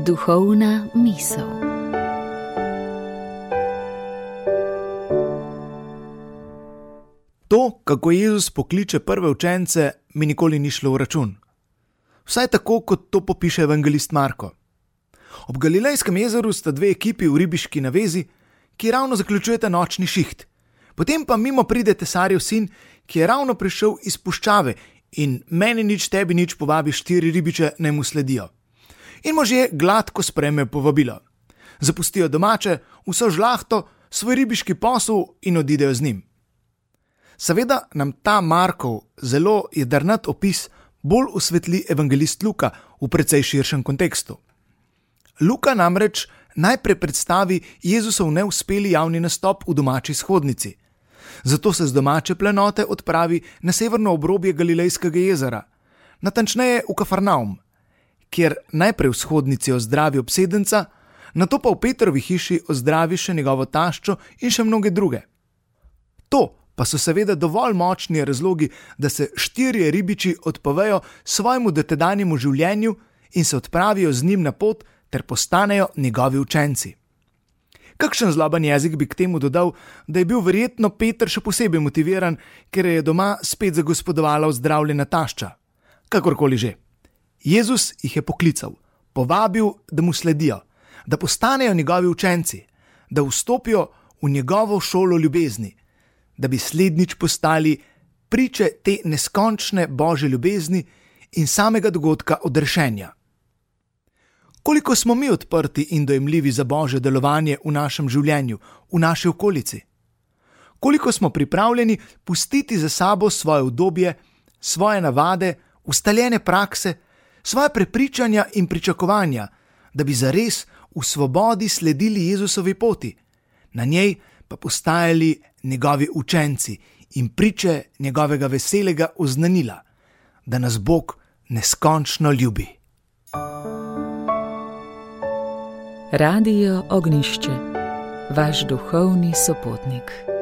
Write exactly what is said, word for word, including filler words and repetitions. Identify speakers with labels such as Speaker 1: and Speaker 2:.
Speaker 1: Duhovna misel.
Speaker 2: To, kako Jezus pokliče prve učence, mi nikoli ni šlo v račun. Vsaj tako, kot to popiše evangelist Marko. Ob Galilejskem jezeru sta dve ekipi v ribiški navezi, ki ravno zaključujeta nočni šiht. Potem pa mimo pride tesarjev sin, ki je ravno prišel iz puščave in meni nič, tebi nič povabi štiri ribiče, naj mu sledijo. In možje gladko sprejmejo povabilo. Zapustijo domače, vso žlahto, svoj ribiški posel in odidejo z njim. Seveda nam ta Markov zelo jedrnat opis bolj osvetli evangelist Luka v precej širšem kontekstu. Luka namreč najprej predstavi Jezusov neuspeli javni nastop v domači shodnici. Zato se z domače planote odpravi na severno obrobje Galilejskega jezera, natančneje v Kafarnaum, kjer najprej v shodnici ozdravi obsedenca, nato pa v Petrovi hiši ozdravi še njegovo taščo in še mnoge druge. To pa so seveda dovolj močni razlogi, da se štirje ribiči odpovejo svojemu dotedanjemu življenju in se odpravijo z njim na pot ter postanejo njegovi učenci. Kakšen zloben jezik bi k temu dodal, da je bil verjetno Peter še posebej motiviran, ker je doma spet zagospodovala ozdravljena tašča. Kakorkoli že. Jezus jih je poklical, povabil, da mu sledijo, da postanejo njegovi učenci, da vstopijo v njegovo šolo ljubezni, da bi slednjič postali priče te neskončne Božje ljubezni in samega dogodka odrešenja. Koliko smo mi odprti in dojemljivi za Božje delovanje v našem življenju, v naši okolici? Koliko smo pripravljeni pustiti za sabo svoje udobje, svoje navade, ustaljene prakse, svoje prepričanja in pričakovanja, da bi zares v svobodi sledili Jezusovi poti, na njej pa postajali njegovi učenci in priče njegovega veselega oznanila, da nas Bog neskončno ljubi.
Speaker 1: Radio Ognjišče, vaš duhovni sopotnik.